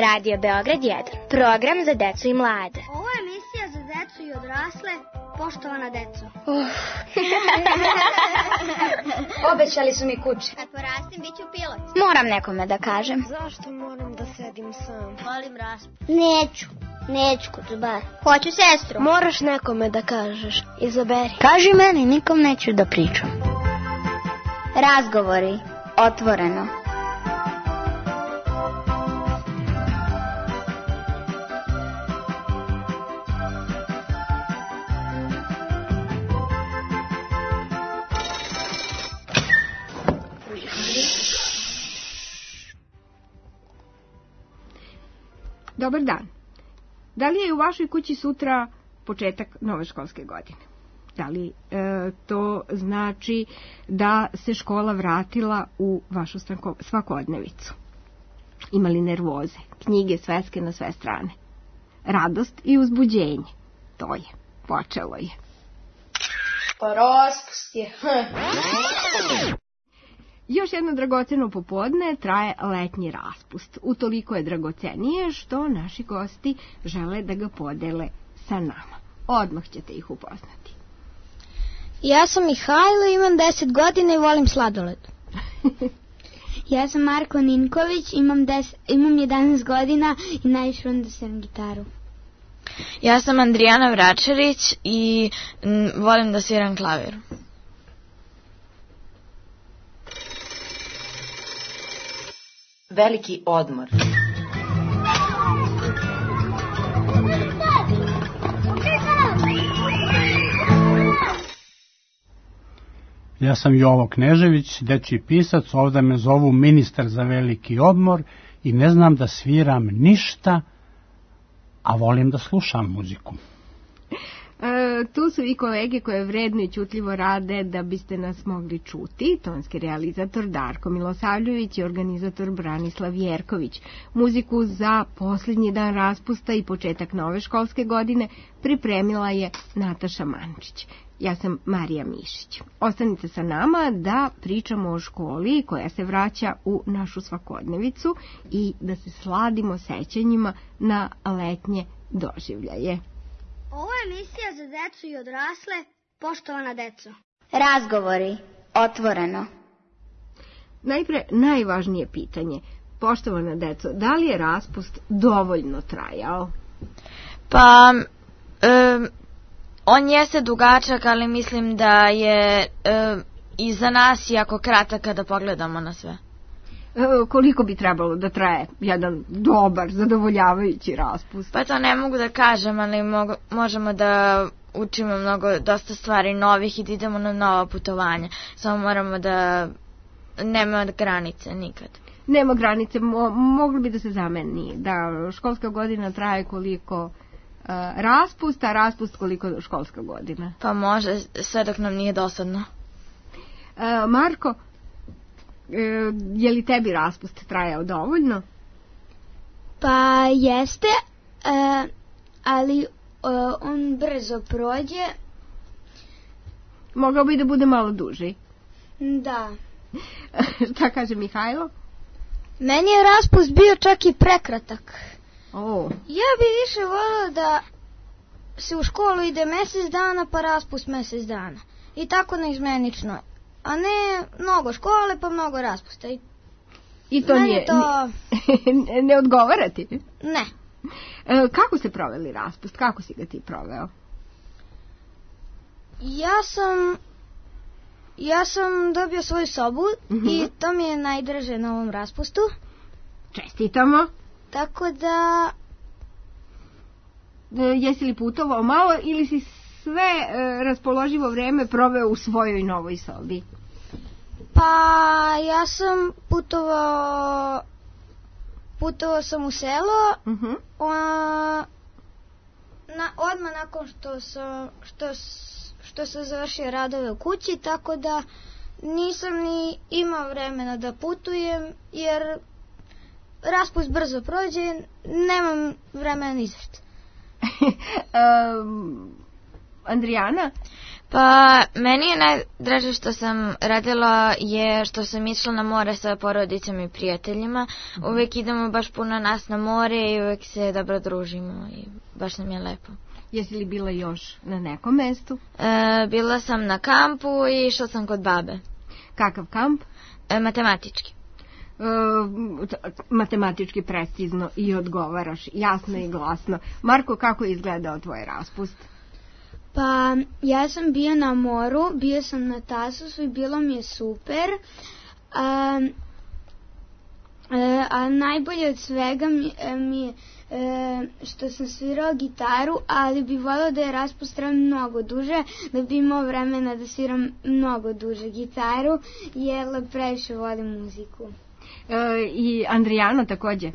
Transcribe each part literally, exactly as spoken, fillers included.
Radio Beograd jedan, program za decu i mlade. Ovo je emisija za decu i odrasle, poštovana deco. Uh. Obećali su mi kuće. Kad porastim, bit ću pilot. Moram nekome da kažem. Zašto moram da sedim sam? Volim raspust. Neću, neću kucubar. Hoću sestru. Moraš nekome da kažeš, izaberi. Kaži meni, nikom neću da pričam. Razgovori, otvoreno. Dobar dan. Da li je u vašoj kući sutra početak nove školske godine? Da li e, to znači da se škola vratila u vašu svakodnevicu? Ima li nervoze, knjige sveske na sve strane? Radost i uzbuđenje. To je, počelo je. Pa raspust je. Još jedno dragoceno popodne traje letnji raspust. Utoliko je dragocenije što naši gosti žele da ga podele sa nama. Odmah ćete ih upoznati. Ja sam Mihajlo, imam deset godina i volim sladoled. Ja sam Marko Ninković, imam, des, imam jedanaest godina i najviše volim da sviram gitaru. Ja sam Andrijana Vračarić i m, volim da sviram klavir. Veliki odmor. Ja sam Jovo Knežević, dečji pisac, ovdje me zovu ministar za veliki odmor i ne znam da sviram ništa, a volim da slušam muziku. E, tu su i kolege koje vredno i ćutljivo rade da biste nas mogli čuti. Tonski realizator Darko Milosavljević i organizator Branislav Jerković. Muziku za posljednji dan raspusta i početak nove školske godine pripremila je Nataša Mančić. Ja sam Marija Mišić. Ostanite sa nama da pričamo o školi koja se vraća u našu svakodnevicu i da se sladimo sećanjima na letnje doživljaje. Ovo je emisija za decu i odrasle, poštovana deco. Razgovori, otvoreno. Najpre, najvažnije pitanje. Poštovana deco, da li je raspust dovoljno trajao? Pa, um, on jeste dugačak, ali mislim da je um, i za nas jako kratak kada pogledamo na sve. Koliko bi trebalo da traje jedan dobar, zadovoljavajući raspust? Pa to ne mogu da kažem, ali mogu, možemo da učimo mnogo, dosta stvari novih i da idemo na nova putovanja. Samo moramo da nema granice nikad. Nema granice, mo, moglo bi da se zameni, da školska godina traje koliko uh, raspust, a raspust koliko školska godina. Pa može, sve dok nam nije dosadno. Uh, Marko, je li tebi raspust trajao dovoljno? Pa jeste, e, ali e, on brzo prođe. Mogao bi da bude malo duži. Da. Šta kaže Mihajlo? Meni je raspust bio čak i prekratak. Oh. Ja bi više volio da se u školu ide mjesec dana pa raspust mjesec dana. I tako neizmenično. A ne mnogo škole pa mnogo raspusta. I, I to nije... To... ne, ne odgovara ti? Ne. E, kako ste proveli raspust? Kako si ga ti proveo? Ja sam... Ja sam dobio svoju sobu mm-hmm. i to mi je najdraže na ovom raspustu. Čestitamo. Tako da... E, jesi li putovao malo ili si sve e, raspoloživo vrijeme proveo u svojoj novoj sobi? Pa ja sam putovao putovao sam u selo uh-huh. o, na, odmah nakon što sam što, što sam završio radove u kući, tako da nisam ni imao vremena da putujem jer raspust brzo prođe, nemam vremena ni za što. um, Andrijana? Pa, meni je najdraže što sam radila je što sam išla na more sa porodicom i prijateljima. Uvijek idemo baš puno nas na more i uvijek se dobro družimo i baš nam je lepo. Jesi li bila još na nekom mestu? E, bila sam na kampu i išla sam kod babe. Kakav kamp? E, matematički. E, matematički precizno i odgovaraš, jasno i glasno. Marko, kako je izgledao tvoj raspust? Pa, ja sam bio na moru, bio sam na Tasosu i bilo mi je super. A, a najbolje od svega mi, mi je e, što sam svirao gitaru, ali bi volio da je raspust trajao mnogo duže, da bi imao vremena da sviram mnogo duže gitaru, jer previše volim muziku. E, I Andrijano takođe e,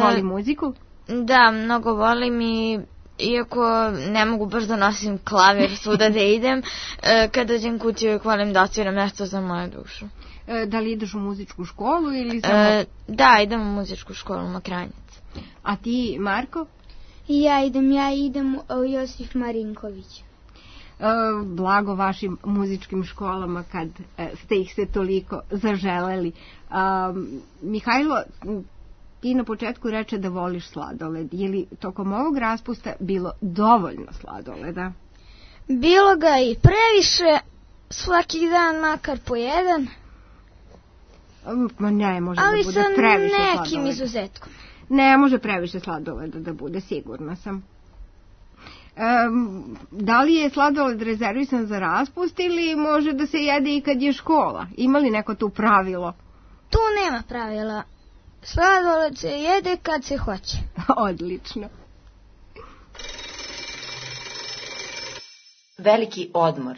voli e, muziku? Da, mnogo volim i iako ne mogu baš da nosim klavir svuda da idem, e, kad dođem kući uvijek volim da odsviram nešto za moju dušu. E, da li ideš u muzičku školu ili samo... E, da, idem u muzičku školu u Mokranjici. A ti, Marko? I ja idem, ja idem u Josif Marinković. E, blago vašim muzičkim školama kad e, ste ih se toliko zaželeli. E, Mihajlo, ti na početku reče da voliš sladoled. Je li tokom ovog raspusta bilo dovoljno sladoleda? Bilo ga i previše, svaki dan makar po jedan. Ma ne, može ali da bude previše sladoleda. Ali sa nekim izuzetkom. Ne, može previše sladoleda da bude, sigurna sam. Um, da li je sladoled rezervisan za raspust ili može da se jede i kad je škola? Ima li neko tu pravilo? Tu nema pravila. Sladoled se jede kad se hoće. Odlično. Veliki odmor.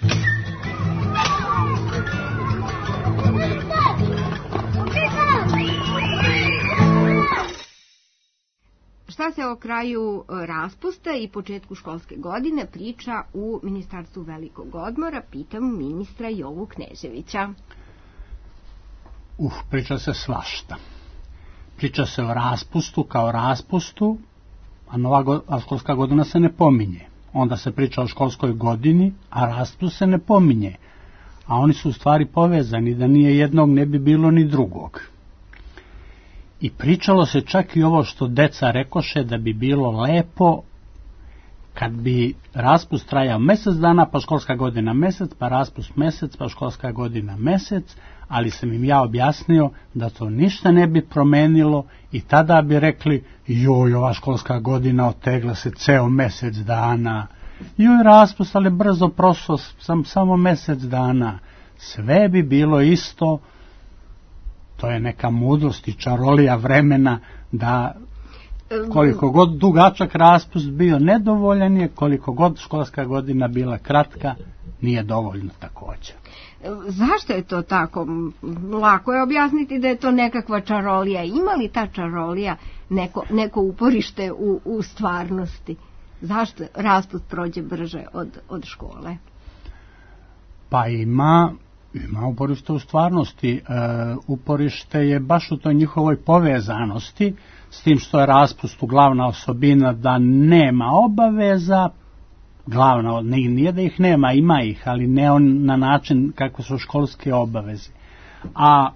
Šta se o kraju raspusta i početku školske godine priča u Ministarstvu velikog odmora? Pitam ministra Jovu Kneževića. Uh, priča se svašta. Priča se o raspustu kao raspustu, a nova go, a školska godina se ne pominje. Onda se priča o školskoj godini, a raspust se ne pominje. A oni su u stvari povezani, da nije jednog ne bi bilo ni drugog. I pričalo se čak i ovo što deca rekoše da bi bilo lepo kad bi raspust trajao mesec dana, pa školska godina mesec, pa raspust mesec, pa školska godina mesec, ali sam im ja objasnio da to ništa ne bi promenilo i tada bi rekli, joj, ova školska godina otegla se ceo mesec dana, joj, raspust, ali brzo prošlo sam samo mesec dana, sve bi bilo isto. To je neka mudrost i čarolija vremena da koliko god dugačak raspust bio nedovoljan je, koliko god školska godina bila kratka, nije dovoljno također. Zašto je to tako? Lako je objasniti da je to nekakva čarolija. Ima li ta čarolija neko, neko uporište u, u stvarnosti? Zašto raspust prođe brže od, od škole? Pa ima... Ima uporište u stvarnosti. E, uporište je baš u toj njihovoj povezanosti, s tim što je raspustu glavna osobina da nema obaveza, glavna, nije da ih nema, ima ih, ali ne on na način kakve su školske obaveze. A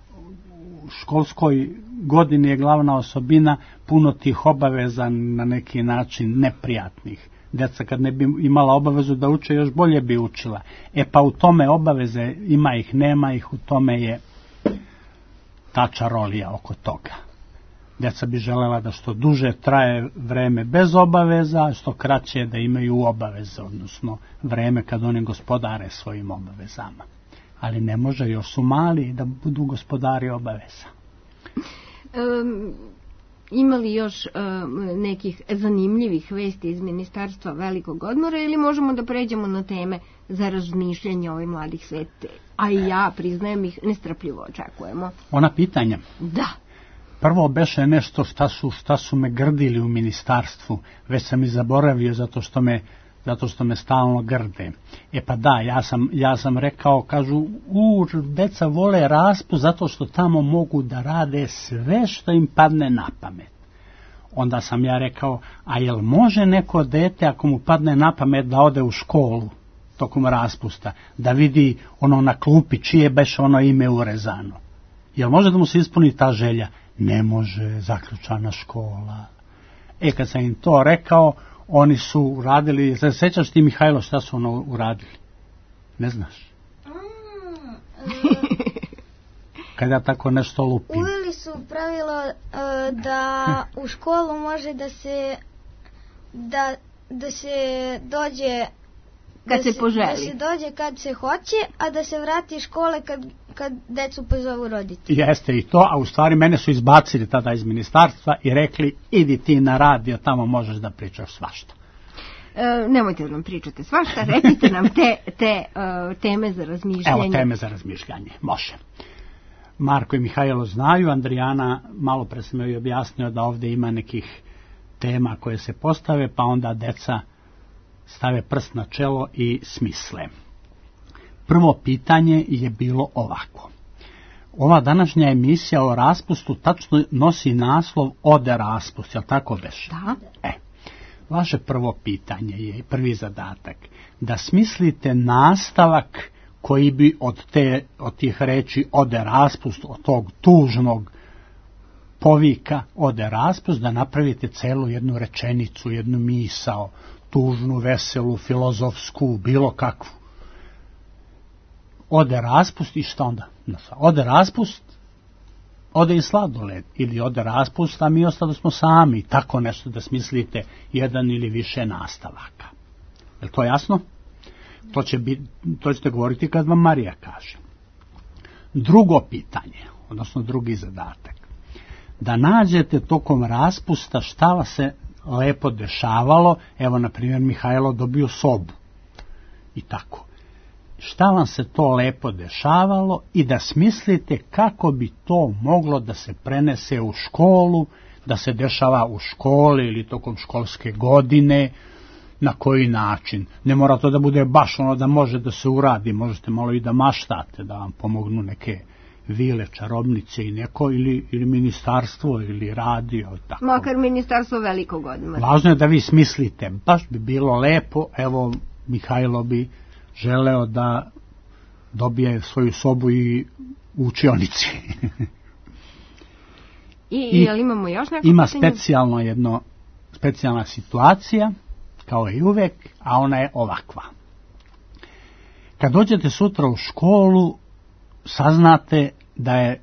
u školskoj godini je glavna osobina puno tih obaveza na neki način neprijatnih. Deca kad ne bi imala obavezu da uče, još bolje bi učila. E pa u tome obaveze ima ih, nema ih, u tome je ta čarolija oko toga. Deca bi želela da što duže traje vreme bez obaveza, što kraće da imaju obaveze, odnosno vreme kad oni gospodare svojim obavezama. Ali ne može, još su mali da budu gospodari obaveza. Um... Ima li još uh, nekih zanimljivih vesti iz Ministarstva velikog odmora ili možemo da pređemo na teme za razmišljanje ovih mladih svete? A i ja, priznajem, ih nestrpljivo očekujemo. Ona pitanja? Da. Prvo beše nešto šta su, šta su me grdili u ministarstvu, već sam i zaboravio zato što me, zato što me stalno grde. E pa da, ja sam, ja sam rekao, kažu, u, deca vole raspust zato što tamo mogu da rade sve što im padne na pamet. Onda sam ja rekao, a jel može neko dete ako mu padne na pamet da ode u školu? tokom raspusta, da vidi ono na klupi čije beše ono ime urezano. Jel može da mu se ispuni ta želja? Ne može, zaključana škola. E, kad sam im to rekao, oni su uradili, se sećaš ti, Mihajlo, šta su ono uradili? Ne znaš? Kada tako nešto lupim. Uveli su pravilo uh, da u školu može da se da, da se dođe kad da se poželi. Da se dođe kad se hoće, a da se vrati iz škole kad, kad decu pozovu roditelji. Jeste i to, a u stvari mene su izbacili tada iz ministarstva i rekli, idi ti na radio, tamo možeš da pričaš svašta. E, nemojte da nam pričate svašta, recite nam te, te uh, teme za razmišljanje. Evo teme za razmišljanje, može. Marko i Mihajlo znaju, Andrijana malo pre sam joj objasnio da ovdje ima nekih tema koje se postave, pa onda deca stave prst na čelo i smisle. Prvo pitanje je bilo ovako. Ova današnja emisija o raspustu tačno nosi naslov Ode raspust, jel tako beše? Da. E, vaše prvo pitanje je, prvi zadatak, da smislite nastavak koji bi od, te, od tih reči ode raspust, od tog tužnog povika ode raspust, da napravite celu jednu rečenicu, jednu misao, tužnu, veselu, filozofsku, bilo kakvu. Ode raspust i šta onda? Ode raspust, ode i sladoled, ili ode raspust, a mi ostali smo sami, tako nešto da smislite jedan ili više nastavaka. Je li to jasno? To, će biti, to ćete govoriti kad vam Marija kaže. Drugo pitanje, odnosno drugi zadatak, da nađete tokom raspusta šta vas se lepo dešavalo. Evo, na primjer, Mihajlo dobio sobu i tako. Šta vam se to lepo dešavalo i da smislite kako bi to moglo da se prenese u školu, da se dešava u školi ili tokom školske godine, na koji način. Ne mora to da bude baš ono da može da se uradi, možete malo i da maštate, da vam pomognu neke vile, čarobnice i neko, ili, ili ministarstvo, ili radio. Tako. Makar ministarstvo velikog odmora. Važno je da vi smislite, baš bi bilo lepo, evo Mihajlo bi želeo da dobije svoju sobu i u učionici. I, I jel imamo još neko ima pitanje? specijalno jedno, specijalna situacija, kao i uvek, a ona je ovakva. Kad dođete sutra u školu, saznate da je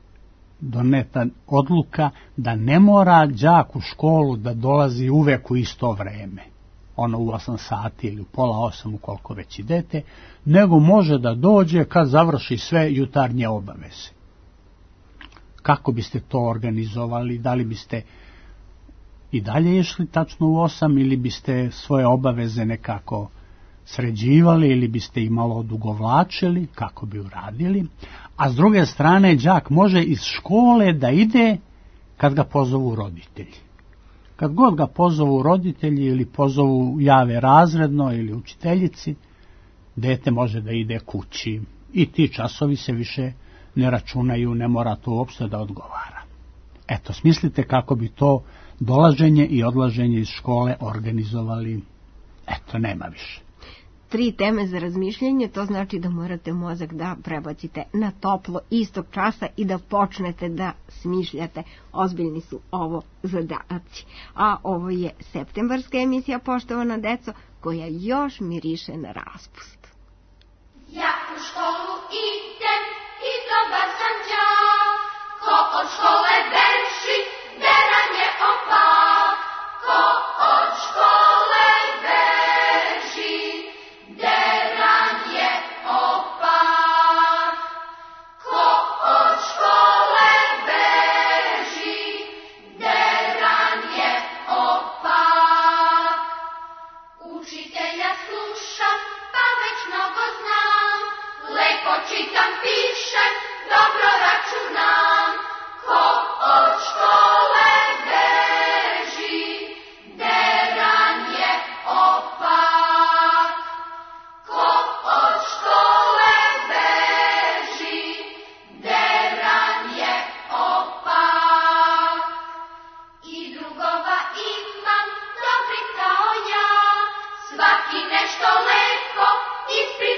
doneta odluka da ne mora đak u školu da dolazi uvek u isto vreme, ono u osam sati ili u pola osam, ukoliko već idete, nego može da dođe kad završi sve jutarnje obaveze. Kako biste to organizovali? Da li biste i dalje išli tačno u osam ili biste svoje obaveze nekako sređivali ili biste ih malo odugovlačili, kako bi uradili? A s druge strane, đak može iz škole da ide kad ga pozovu roditelji. Kad god ga pozovu roditelji ili pozovu jave razredno ili učiteljici, dete može da ide kući i ti časovi se više ne računaju, ne mora to uopšte da odgovara. Eto, smislite kako bi to dolaženje i odlaženje iz škole organizovali. Eto, nema više. Tri teme za razmišljanje, to znači da morate mozak da prebacite na toplo istog časa i da počnete da smišljate. Ozbiljni su ovo zadaci. A ovo je septembarska emisija, poštovana deco, koja još miriše na raspust. Ja u školu idem i dobar sam đak, ko od škole beži, deranje opak, ko od škole beži, deranje opak, ko od škole beži, deranje opak. Učitelja slušam, pa već mnogo znam, lepo čitam, pišem, dobro računam, ko od škole beži, deranje opak, ko od škole beži, deranje opak. I drugova imam, dobri kao ja, svaki nešto lepo ispriča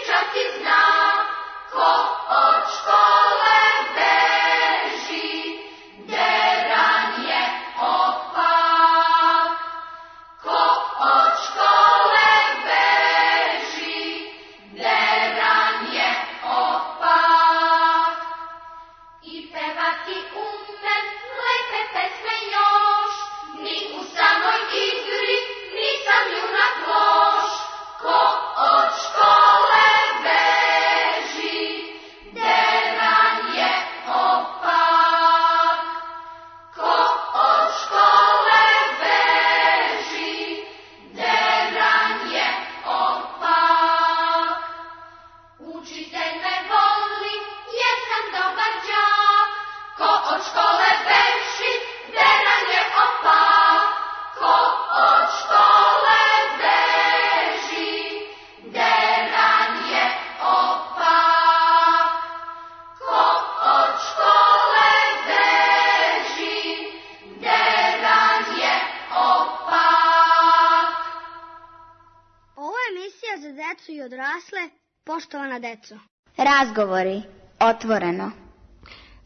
Poštovana deco. Razgovori. Otvoreno.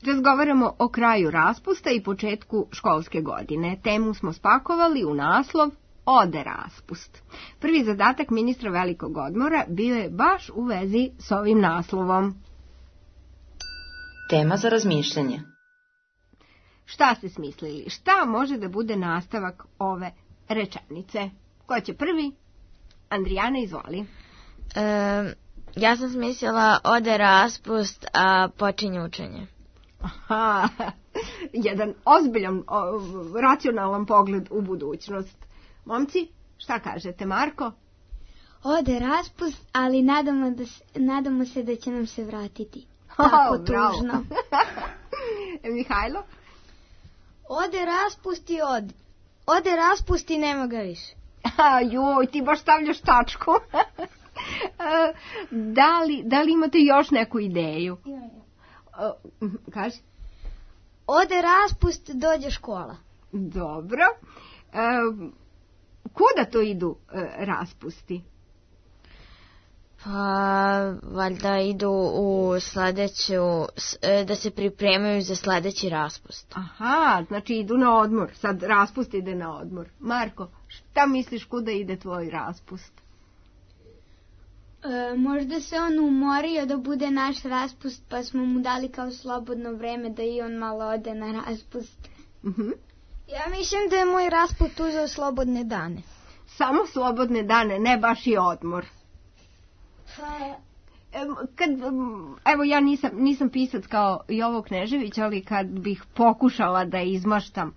Razgovaramo o kraju raspusta i početku školske godine. Temu smo spakovali u naslov Ode raspust. Prvi zadatak ministra velikog odmora bio je baš u vezi s ovim naslovom. Tema za razmišljanje. Šta ste smislili? Šta može da bude nastavak ove rečenice? Ko će prvi? Andrijana, izvoli. E, ja sam smislila ode raspust, a počinje učenje. Aha, jedan ozbiljan, o, racionalan pogled u budućnost. Momci, šta kažete, Marko? Ode raspust, ali nadamo, da, nadamo se da će nam se vratiti. Tako oh, tužno. Mihajlo? Ode raspust i od. Ode raspust i nema ga više. Joj, ti baš stavljaš tačku. da, li, da li imate još neku ideju? Imam. Kaži. Ode raspust, dođe škola. Dobro. E, kuda to idu e, raspusti? Pa, valjda idu u sledeću, da se pripremaju za sledeći raspust. Aha, znači idu na odmor. Sad raspust ide na odmor. Marko, šta misliš kuda ide tvoj raspust? E, možda se on umorio da bude naš raspust, pa smo mu dali kao slobodno vreme da i on malo ode na raspust. Uh-huh. Ja mislim da je moj raspust uzeo slobodne dane. Samo slobodne dane, ne baš i odmor. Pa... Kad, evo ja nisam, nisam pisac kao Jovo Knežević, ali kad bih pokušala da izmaštam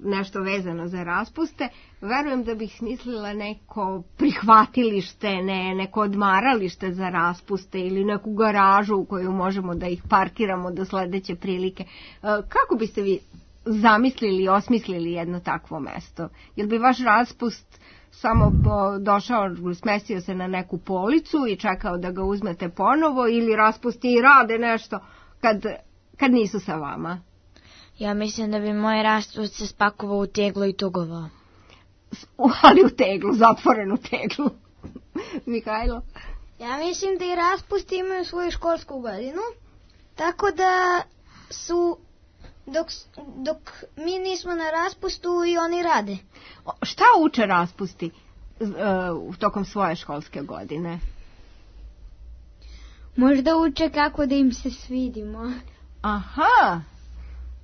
nešto vezano za raspuste, verujem da bih smislila neko prihvatilište, ne, neko odmaralište za raspuste ili neku garažu u koju možemo da ih parkiramo do sledeće prilike. Kako biste vi zamislili i osmislili jedno takvo mesto? Jel bi vaš raspust samo došao, smestio se na neku policu i čekao da ga uzmete ponovo, ili raspusti i rade nešto kad, kad nisu sa vama? Ja mislim da bi moj raspust se spakovao u teglu i tugovao. Ali u teglu, zatvorenu teglu. Mihajlo? Ja mislim da i raspusti imaju svoju školsku godinu, tako da su, dok, dok mi nismo na raspustu, i oni rade. Šta uče raspusti uh, tokom svoje školske godine? Možda uče kako da im se svidimo. Aha!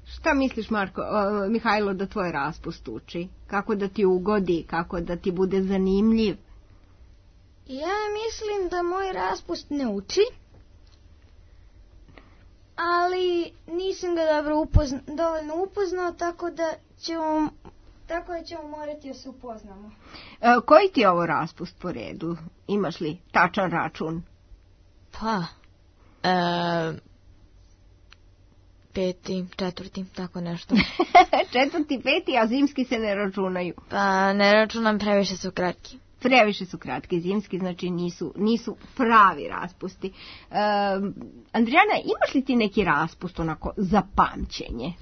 Šta misliš, Marko, uh, Mihajlo, da tvoj raspust uči? Kako da ti ugodi, kako da ti bude zanimljiv? Ja mislim da moj raspust ne uči, ali nisam ga dobro upozna, dovoljno upoznao, tako da ćemo, tako da ćemo morati da se upoznamo. Uh, koji ti je ovo raspust po redu? Imaš li tačan račun? Pa, e, peti, četvrti, tako nešto. Četvrti, peti, a zimski se ne računaju. Pa ne računam, previše su kratki. Previše su kratki, zimski, znači nisu, nisu pravi raspusti. E, Andrijana, imaš li ti neki raspust onako za pamćenje?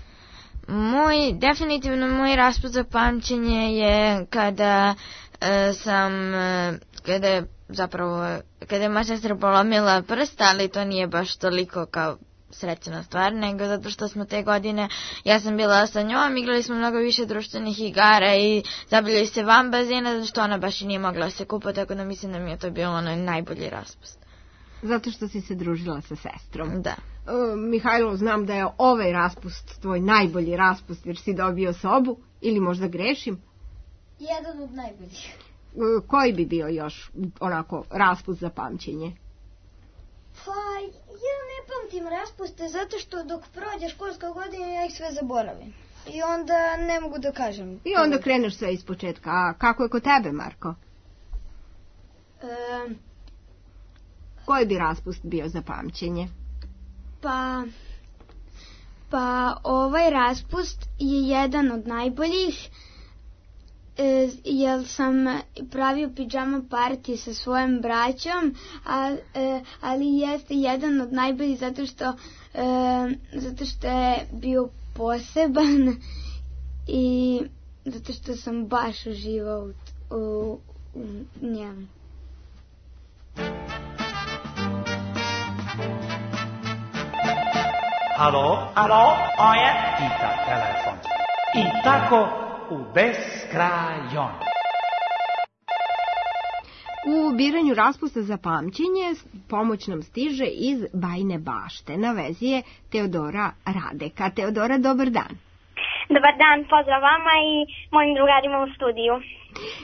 Moj, definitivno moj raspust za pamćenje je kada e, sam, e, kada je zapravo, kada je moja sestra polomila prst, ali to nije baš toliko kao srećna stvar, nego zato što smo te godine, ja sam bila sa njom, igrali smo mnogo više društvenih igara i zabavljali se van bazena, zato što ona baš i nije mogla se kupa, tako da mislim da mi je to bilo onaj najbolji raspust. Zato što si se družila sa sestrom. Da. Uh, Mihajlo, znam da je ovaj raspust tvoj najbolji raspust, jer si dobio sobu, ili možda grešim? Jedan od najboljih. Uh, koji bi bio još onako raspust za pamćenje? Pa, ja ne pamtim raspuste zato što dok prođe školska godina ja ih sve zaboravim. I onda ne mogu da kažem. I onda kreneš sve iz početka. A kako je kod tebe, Marko? E, Koji bi raspust bio za pamćenje? Pa, pa ovaj raspust je jedan od najboljih, e, jer sam pravio pidžama party sa svojom braćom, a, e, ali jeste jedan od najboljih zato što, e, zato što je bio poseban i zato što sam baš uživao u, u, u njemu. alo, alo, oje, pita telefon. I tako u beskrajon. U biranju raspusta za pamćenje pomoć nam stiže iz Bajine Bašte. Na vezi je Teodora Radeka. Teodora, dobar dan. Dobar dan, pozdrav vama i mojim drugarima u studiju.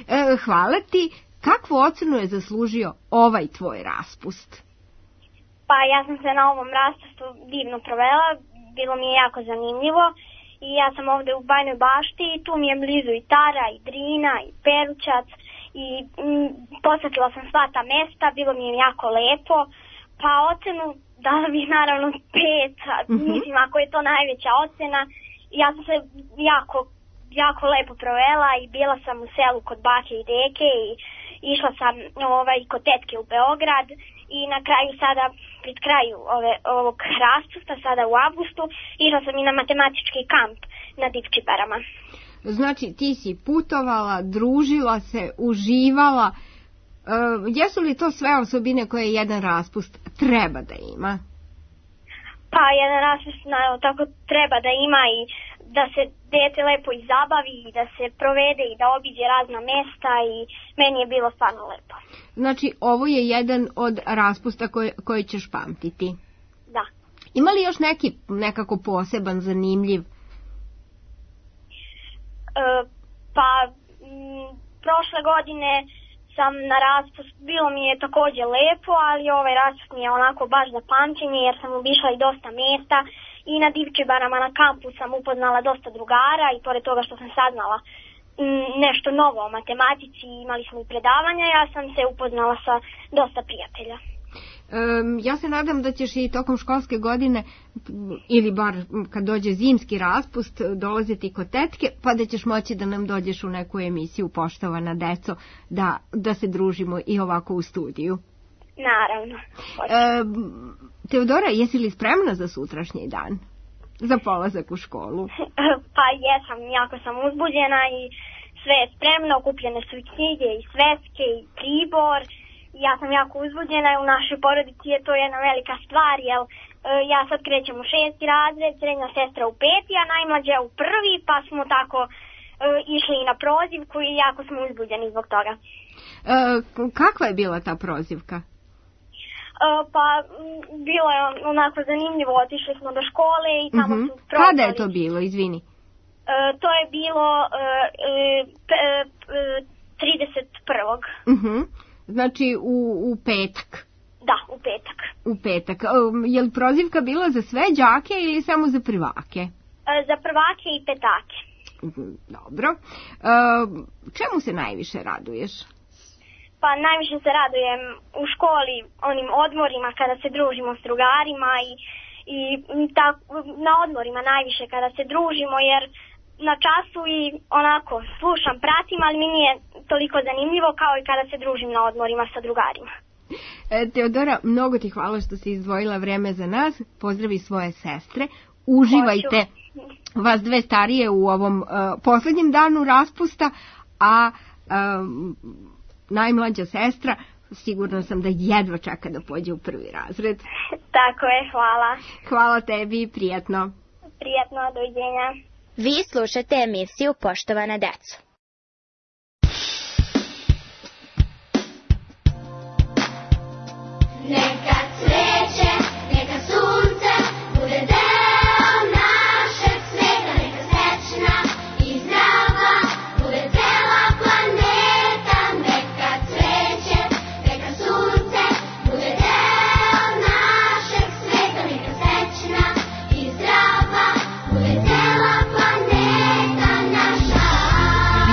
E, hvala ti. Kakvu ocenu je zaslužio ovaj tvoj raspust? Pa ja sam se na ovom raspustu divno provela, bilo mi je jako zanimljivo i ja sam ovde u Bajnoj Bašti i tu mi je blizu i Tara, i Drina, i Perućac i m, posjetila sam sva ta mesta, bilo mi je jako lepo, pa ocenu dala bih naravno pet, mm-hmm. mislim ako je to najveća ocena, ja sam se jako, jako lepo provela i bila sam u selu kod bake i deke i išla sam ovaj, kod tetke u Beograd i na kraju sada, pred kraju ove, ovog raspusta, sada u avgustu, išla sam i na matematički kamp na Divčibarama. Znači ti si putovala, družila se, uživala. E, jesu li to sve osobine koje jedan raspust treba da ima? Pa jedan raspust naravno tako treba da ima i da se dete lepo izabavi i da se provede i da obiđe razna mesta i meni je bilo stvarno lepo. Znači ovo je jedan od raspusta koje, koje ćeš pamtiti? Da. Ima li još neki nekako poseban, zanimljiv? E, pa m, prošle godine sam na raspust, bilo mi je također lepo, ali ovaj raspust mi je onako baš za pamćenje jer sam obišla i dosta mjesta i na Divčibarama na kampu sam upoznala dosta drugara i pored toga što sam saznala m, nešto novo o matematici, imali smo i predavanja, ja sam se upoznala sa dosta prijatelja. Um, ja se nadam da ćeš i tokom školske godine ili bar kad dođe zimski raspust dolaziti kod tetke, pa da ćeš moći da nam dođeš u neku emisiju Poštovana deco, da, da se družimo i ovako u studiju. Naravno. Um, Teodora, jesi li spremna za sutrašnji dan? Za polazak u školu? Pa jesam, jako sam uzbuđena i sve je spremno, okupljene su i knjige i sveske i pribor. Ja sam jako uzbuđena i u našoj porodici je to jedna velika stvar, jer e, ja sad krećem u šesti razred, srednja sestra u peti, a najmlađa u prvi, pa smo tako e, išli i na prozivku i jako smo uzbuđeni zbog toga. E, kakva je bila ta prozivka? E, pa m, bilo je onako zanimljivo, otišli smo do škole i tamo mm-hmm. su prozvali. Kada je to bilo, izvini? E, to je bilo e, e, e, trideset prvog Mhm. Znači u, u petak? Da, u petak. U petak. Je li prozivka bila za sve đake ili samo za prvake? E, za prvake i petake. Dobro. E, čemu se najviše raduješ? Pa najviše se radujem u školi, onim odmorima kada se družimo s drugarima i, i ta, na odmorima najviše kada se družimo jer na času i onako slušam, pratim, ali mi nije toliko zanimljivo kao i kada se družim na odmorima sa drugarima. E, Teodora, mnogo ti hvala što si izdvojila vreme za nas. Pozdravi svoje sestre. Uživajte Hoću. Vas dve starije u ovom uh, posljednjem danu raspusta, a um, najmlađa sestra sigurno sam da jedva čeka da pođe u prvi razred. Tako je, hvala. Hvala tebi i prijatno. Prijatno, doviđenja. Vi slušate emisiju Poštovana deco. Neka cveće, neka sunce, bude deo našeg sveta, neka srećna i zdrava, bude cela planeta. Neka cveće, neka sunce, bude deo našeg sveta, neka srećna i zdrava, bude cela planeta naša.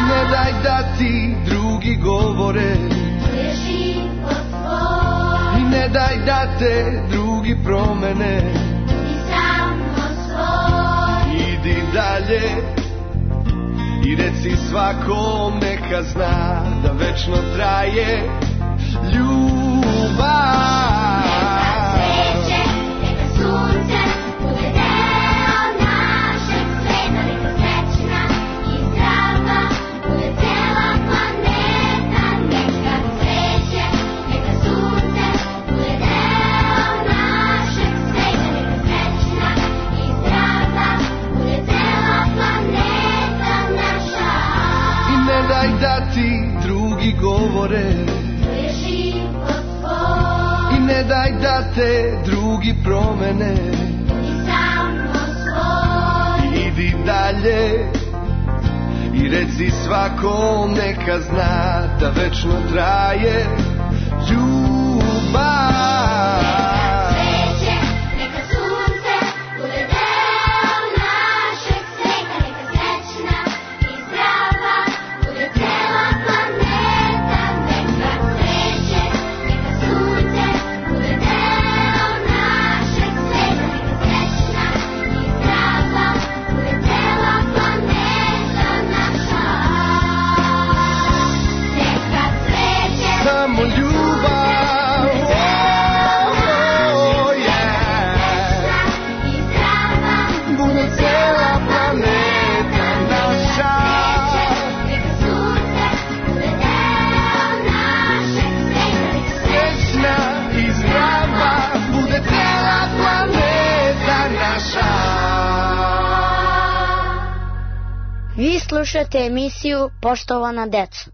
Ne daj da ti drugi govore, to je život tvoj. ne daj da te drugi promene, I samo svoj. idi dalje i reci svakom neka zna da večno traje ljubav. Neka cveće, neka sunce, bude deo našeg sveta, neka srećna i zdrava, bude cela planeta. Neka cveće, neka sunce, bude deo našeg sveta, neka srećna i more. I ne daj da te drugi promene. Idi dalje i reci svakom neka zna da večno traje ljubav. Vi slušate emisiju Poštovana deco.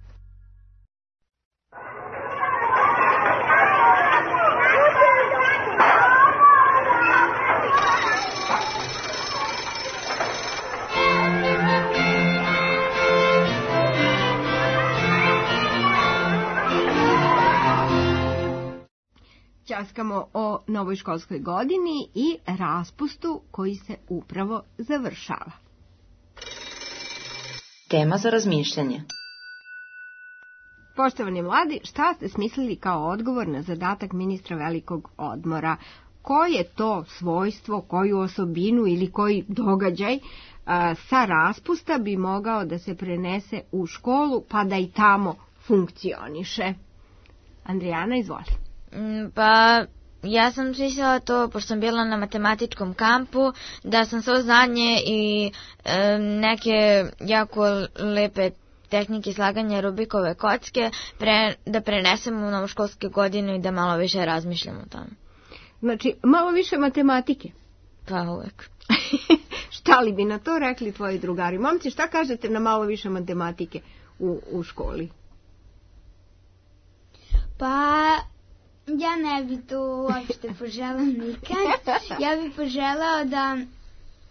Ćaskamo o novoj školskoj godini i raspustu koji se upravo završava. Tema za razmišljanje. Poštovani mladi, šta ste smislili kao odgovor na zadatak ministra velikog odmora? Koje to svojstvo, koju osobinu ili koji događaj a, sa raspusta bi mogao da se prenese u školu pa da i tamo funkcioniše? Andrijana, izvoli. Pa ja sam smislila to, pošto sam bila na matematičkom kampu, da sam svo znanje i e, neke jako lepe tehnike slaganja Rubikove kocke pre, da prenesem u novoškolske godine i da malo više razmišljam o tome. Znači, malo više matematike? Pa uvek. Šta li bi na to rekli tvoji drugari? Momci, šta kažete na malo više matematike u, u školi? Pa... ja ne bi to uopšte poželao nikad. Ja bi poželao da,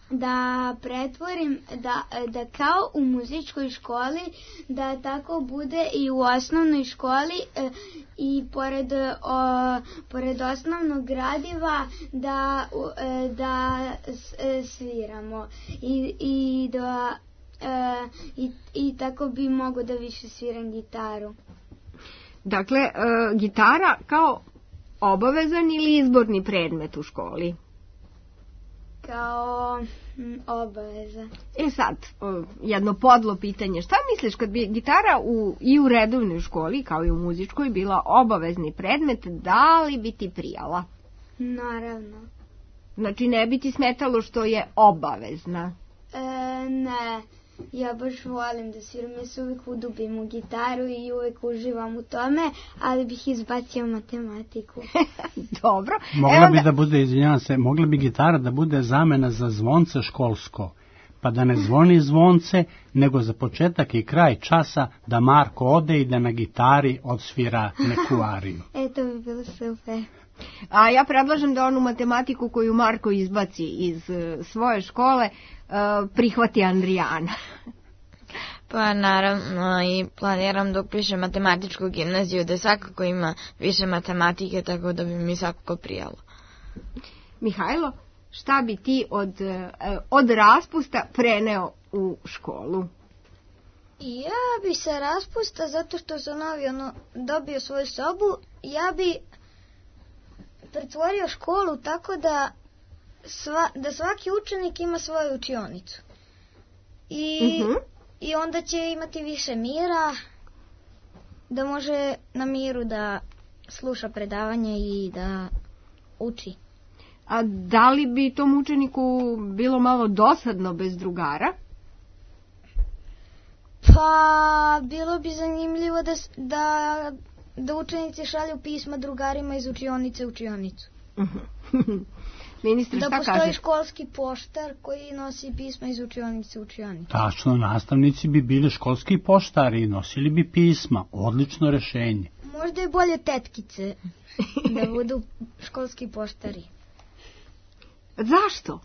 da pretvorim, da, da kao u muzičkoj školi, da tako bude i u osnovnoj školi e, i pored, o, pored osnovnog gradiva da, e, da e, sviramo i, i, da, e, i, i tako bi mogo da više sviram gitaru. Dakle, e, gitara kao obavezan ili izborni predmet u školi? Kao m, obavezan. E sad, o, jedno podlo pitanje. Šta misliš kad bi gitara u, i u redovnoj školi, kao i u muzičkoj, bila obavezni predmet, da li bi ti prijala? Naravno. Znači, ne bi ti smetalo što je obavezna? E, ne. Ja baš volim da sviram, ja se uvijek udubim u gitaru i uvijek uživam u tome, ali bih izbacio matematiku. Dobro. Mogla Evo bi da... da bude, izvinjavam se, mogla bi gitara da bude zamena za zvonce školsko, pa da ne zvoni zvonce, nego za početak i kraj časa da Marko ode i da na gitari odsvira neku ariju. E, to bi bilo super. A ja predlažem da onu matematiku koju Marko izbaci iz uh, svoje škole uh, prihvati Andrijana. Pa naravno i planiram da upišem matematičku gimnaziju, da svakako ima više matematike, tako da bi mi svakako prijalo. Mihajlo, šta bi ti od, uh, od raspusta preneo u školu? Ja bi se raspusta, zato što sam novi ono, dobio svoju sobu, ja bi pretvorio školu tako da, sva, da svaki učenik ima svoju učionicu. I, uh-huh. I onda će imati više mira, da može na miru da sluša predavanje i da uči. A da li bi tom učeniku bilo malo dosadno bez drugara? Pa, bilo bi zanimljivo da, da, da učenici šalju pisma drugarima iz učionice u učionicu. Ministre, da šta postoji kažeš? školski poštar koji nosi pisma iz učionice u učionicu. Tačno, nastavnici bi bili školski poštari i nosili bi pisma. Odlično rešenje. Možda je bolje tetkice da budu školski poštari. Zašto?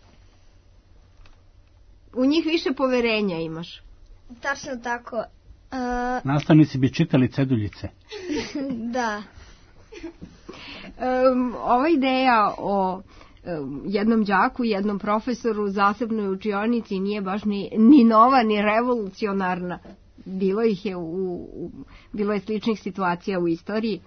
U njih više poverenja imaš. Tačno tako. Uh, Nastavnici bi čitali ceduljice. Da. Um, ova ideja o um, jednom đaku i jednom profesoru u zasebnoj učionici nije baš ni, ni nova, ni revolucionarna. Bilo ih je u, u, bilo je sličnih situacija u istoriji.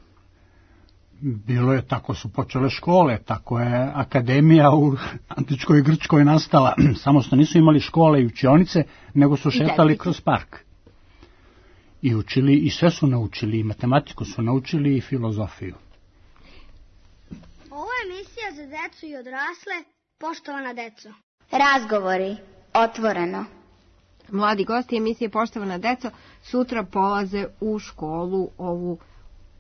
Bilo je, tako su počele škole, tako je akademija u antičkoj Grčkoj nastala. Samo što nisu imali škole i učionice, nego su šetali kroz park. I učili, i sve su naučili, i matematiku su naučili, i filozofiju. Ovo je emisija za decu i odrasle, poštovana deco. Razgovori, otvoreno. Mladi gosti emisije Poštovana deco sutra polaze u školu ovu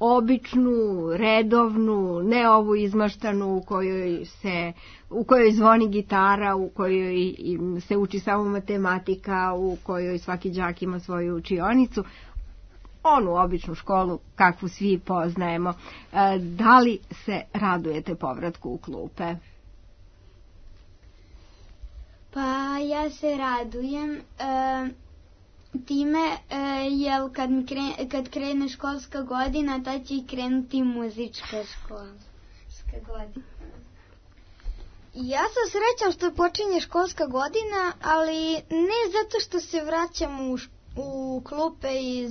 običnu, redovnu, ne ovu izmaštanu u kojoj se, u kojoj zvoni gitara, u kojoj se uči samo matematika, u kojoj svaki đak ima svoju učionicu. Onu običnu školu kakvu svi poznajemo. Da li se radujete povratku u klupe? Pa ja se radujem e, time e, jer kad, mi krene, kad krene školska godina, tad će i krenuti muzička školska godina. Ja sam srećan što počinje školska godina, ali ne zato što se vraćam u, u klupe i,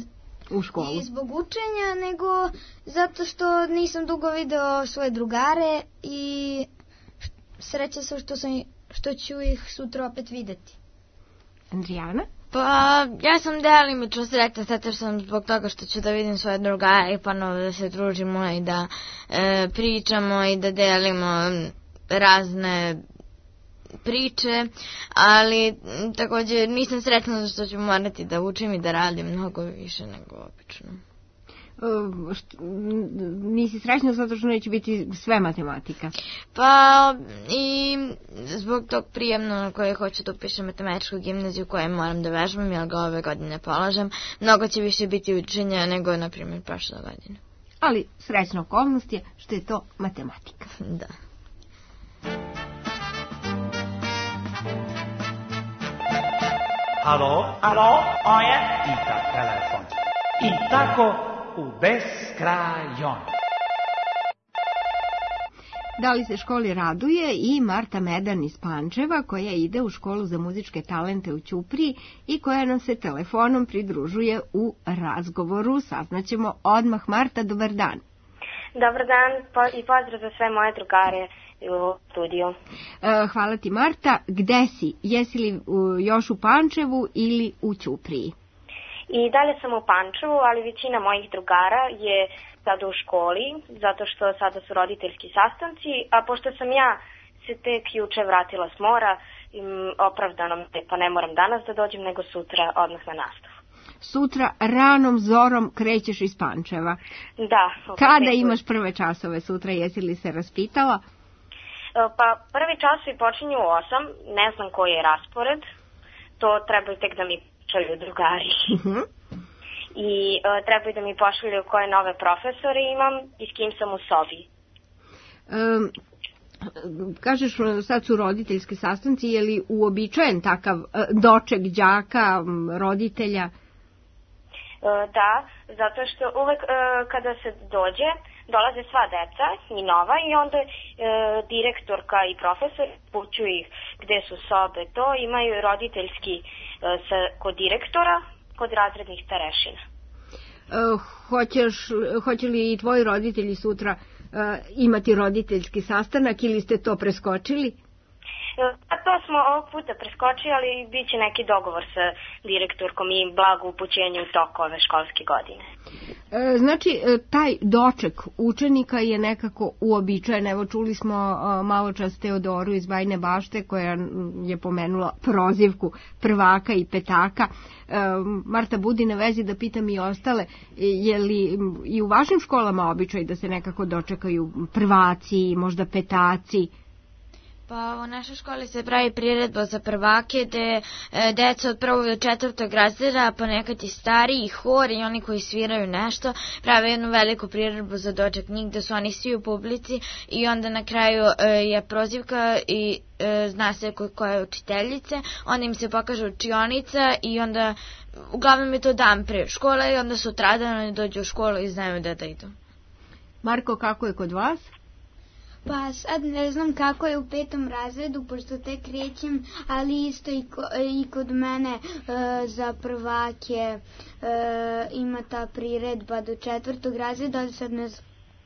u školu. i zbog učenja, nego zato što nisam dugo video svoje drugare i srećan sam što sam što ću ih sutra opet videti. Andrijana? Pa, ja sam delimično sretna, zato što sam zbog toga što ću da vidim svoje drugare i ponovo da se družimo i da e, pričamo i da delimo razne priče, ali m, također nisam sretna zato što ću morati da učim i da radim mnogo više nego obično. Uh, što, nisi srećna zato što neće biti sve matematika? Pa i zbog tog prijemno na koje hoću da upišem matematičku gimnaziju koje moram da vežbam, jer ga ove godine polažem, mnogo će više biti učenja nego, na primjer, prošle godine. Ali srećna okolnost je što je to matematika. Da. Alo, alo, ovo je Ita telefon. I tako u beskrajon. Da li se školi raduje i Marta Medan iz Pančeva, koja ide u školu za muzičke talente u Ćupriji i koja nam se telefonom pridružuje u razgovoru. Saznaćemo odmah. Marta, dobar dan. Dobar dan i pozdrav za sve moje drugare u studiju. Hvala ti, Marta. Gde si? Jesi li još u Pančevu ili u Ćupriji? I dalje sam u Pančevu, ali većina mojih drugara je sada u školi, zato što sada su roditeljski sastanci, a pošto sam ja se tek juče vratila s mora, opravdano pa ne moram danas da dođem, nego sutra odmah na nastavu. Sutra ranom zorom krećeš iz Pančeva. Da. Kada imaš prve časove sutra, jesi li se raspitala? Pa prvi časovi počinju u osam, ne znam koji je raspored, to trebaju tek da mi pošalju drugari. Uh-huh. I uh, trebaju da mi pošalju koje nove profesore imam i s kim sam u sobi. Um, kažeš, sad su roditeljski sastanci, je li uobičajen takav uh, doček đaka, um, roditelja? Uh, da, zato što uvek uh, kada se dođe, dolaze sva deca i nova i onda uh, direktorka i profesor pućuju ih gde su sobe, to imaju roditeljski uh, sa, kod direktora, kod razrednih starešina. Uh, hoćeš, hoće li i tvoji roditelji sutra uh, imati roditeljski sastanak ili ste to preskočili? A to smo ovog puta preskočili, ali bit će neki dogovor sa direktorkom i blago upućenje u toku ove školske godine. E, znači, taj doček učenika je nekako uobičajen. Evo, čuli smo malo čas Teodoru iz Bajne Bašte koja je pomenula prozivku prvaka i petaka. E, Marta, budi na vezi da pitam i ostale, je li i u vašim školama običaj da se nekako dočekaju prvaci, možda petaci? Pa u našoj školi se pravi priredba za prvake gde e, deca od prvog do četvrtog razreda, ponekad i stariji, hor i oni koji sviraju nešto, prave jednu veliku priredbu za doček njih gde su oni svi u publici i onda na kraju e, je prozivka i e, zna se ko, koja je učiteljice, onda im se pokaže učionica i onda uglavnom je to dan pre škole i onda sutradan oni dođu u školu i znaju da da idu. Marko, kako je kod vas? Pa sad ne znam kako je u petom razredu, pošto tek krećem, ali isto i, ko, i kod mene e, za prvake e, ima ta priredba do četvrtog razreda, ali sad ne,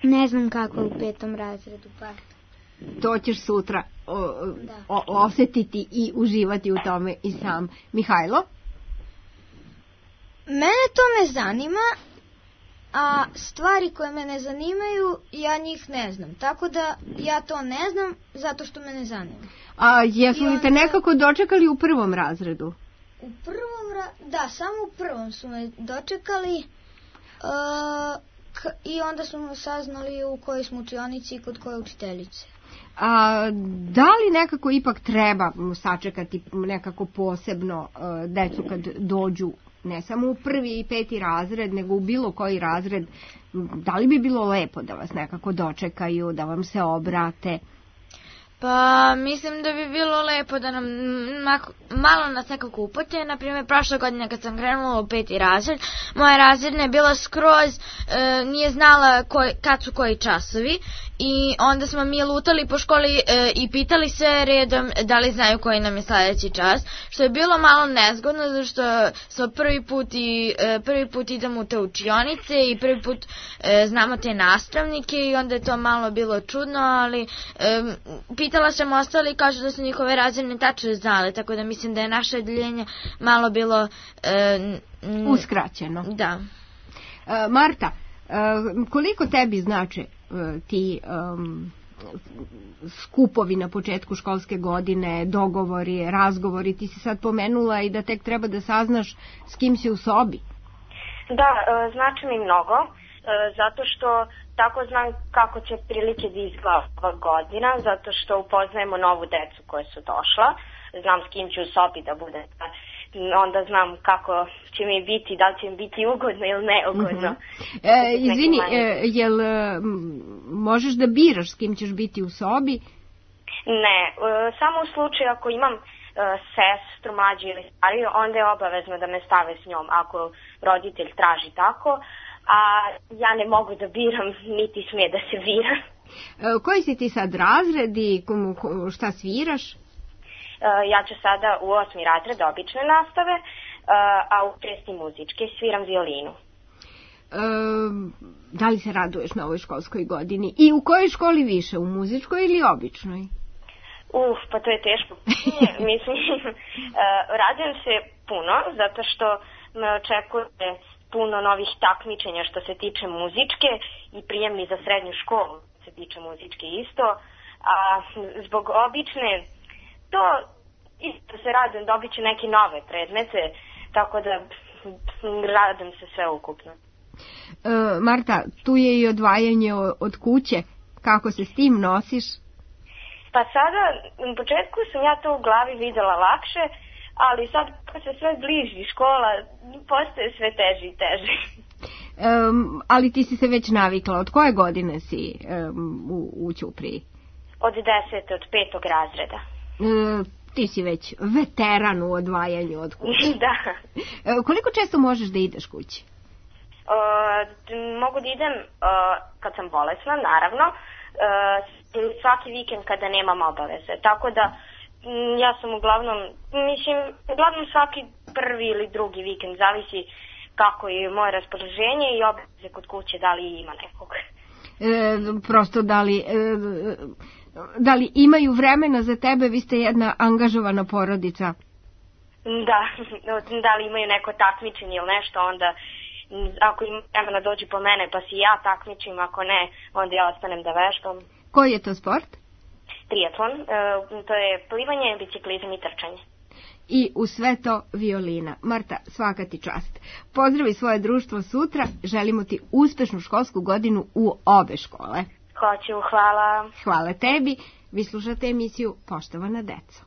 ne znam kako je u petom razredu. Pa. To ćeš sutra o, o, osetiti i uživati u tome i sam. Mihajlo? Mene to ne zanima, a stvari koje me ne zanimaju, ja njih ne znam. Tako da ja to ne znam zato što me ne zanima. A jesu li te nekako dočekali u prvom razredu? U prvom, ra... da, samo u prvom su me dočekali uh, k... i onda smo saznali u kojoj smo učionici i kod koje učiteljice. A da li nekako ipak treba sačekati nekako posebno uh, decu kad dođu ne samo u prvi i peti razred, nego u bilo koji razred, da li bi bilo lepo da vas nekako dočekaju, da vam se obrate? Pa mislim da bi bilo lepo da nam malo nas nekako upote. Naprimjer, prošle godine kad sam krenula u peti razred, moja razredna je bila skroz, e, nije znala koj, kad su koji časovi i onda smo mi lutali po školi e, i pitali sve redom da li znaju koji nam je sledeći čas, što je bilo malo nezgodno, zato što smo prvi put, i, e, prvi put idemo u te učionice i prvi put e, znamo te nastavnike i onda je to malo bilo čudno, ali e, pitala sam ostali i kažu da su njihove razredne tačno znale, tako da mislim da je naše odeljenje malo bilo e, m, uskraćeno. Da. E, Marta, e, koliko tebi znače e, ti um, skupovi na početku školske godine, dogovori, razgovori? Ti si sad pomenula i da tek treba da saznaš s kim si u sobi. Da, e, znači mi mnogo, e, zato što tako znam kako će prilike da izgleda ova godina, zato što upoznajemo novu decu koje su došla, znam s kim ću u sobi da bude, onda znam kako će mi biti, da li će mi biti ugodno ili neugodno. Uh-huh. e, izvini, e, jel možeš da biraš s kim ćeš biti u sobi? Ne, e, samo u slučaju ako imam e, sestru, mlađu ili stariju, onda je obavezno da me stave s njom, ako roditelj traži tako, a ja ne mogu da biram, niti smije da se bira. E, koji si ti sad razred i šta sviraš? E, ja ću sada u osmi razred obične nastave, e, a u šesti muzičke sviram violinu. E, da li se raduješ na ovoj školskoj godini? I u kojoj školi više, u muzičkoj ili običnoj? Uf, pa to je teško. Mislim, e, radujem se puno, zato što me očekuje puno novih takmičenja što se tiče muzičke i prijemni za srednju školu se tiče muzičke isto, a zbog obične to isto se radujem, dobit ću neke nove predmete, tako da radujem se sve ukupno. E, Marta, tu je i odvajanje od kuće, kako se s tim nosiš? Pa sada, u početku sam ja to u glavi videla lakše, ali sad kad se sve bliži škola, postaje sve teže i teže. Um, ali ti si se već navikla. Od koje godine si um, u, u Ćupriji? Od desete, od petog razreda. Um, ti si već veteran u odvajanju od kuće. Da. Um, koliko često možeš da ideš kući? Uh, mogu da idem uh, kad sam bolesna, naravno, uh, svaki vikend kada nemam obaveze. Tako da ja sam uglavnom, mislim, uglavnom svaki prvi ili drugi vikend, zavisi kako je moje raspoloženje i obaveze kod kuće, da li ima nekog. E, prosto da li, e, da li imaju vremena za tebe, vi ste jedna angažovana porodica. Da, da li imaju neko takmičenje ili nešto, onda ako im vremena dođi po mene pa si ja takmičim, ako ne, onda ja ostanem da vežbam. Koji je to sport? Triatlon, to je plivanje, biciklizam i trčanje. I u sve to violina. Marta, svaka ti čast. Pozdravi svoje društvo sutra, želimo ti uspešnu školsku godinu u obe škole. Hoću, hvala. Hvala tebi. Vi slušate emisiju Poštovana deco.